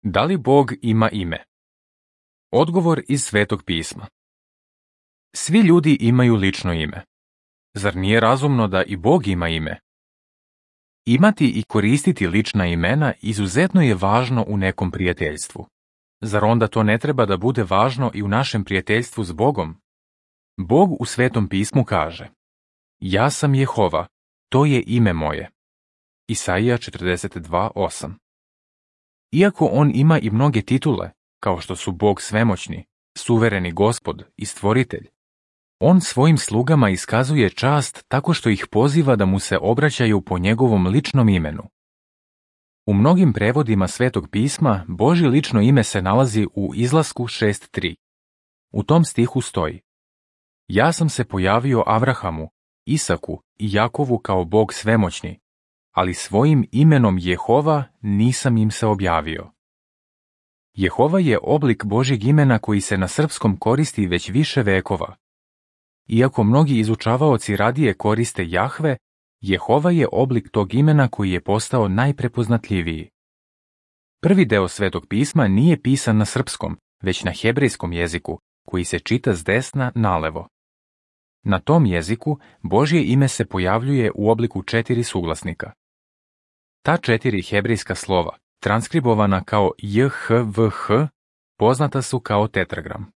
Da li Bog ima ime? Odgovor iz Svetog pisma. Svi ljudi imaju lično ime. Zar nije razumno da i Bog ima ime? Imati i koristiti lična imena izuzetno je važno u nekom prijateljstvu. Zar onda to ne treba da bude važno i u našem prijateljstvu s Bogom? Bog u Svetom pismu kaže: Ja sam Jehova, to je ime moje. Isaija 42:8. Iako on ima i mnoge titule, kao što su Bog svemoćni, suvereni Gospod i stvoritelj, on svojim slugama iskazuje čast tako što ih poziva da mu se obraćaju po njegovom ličnom imenu. U mnogim prevodima Svetog pisma Božje lično ime se nalazi u Izlasku 6:3. U tom stihu stoji: Ja sam se pojavio Avrahamu, Isaku i Jakovu kao Bog svemoćni, ali svojim imenom Jehova nisam im se objavio. Jehova je oblik Božjeg imena koji se na srpskom koristi već više vekova. Iako mnogi izučavaoci radije koriste Jahve, Jehova je oblik tog imena koji je postao najprepoznatljiviji. Prvi deo Svetog pisma nije pisan na srpskom, već na hebrejskom jeziku, koji se čita s desna nalevo. Na tom jeziku Božje ime se pojavljuje u obliku 4 suglasnika. Ta 4 hebrejska slova, transkribovana kao JHVH, poznata su kao tetragram.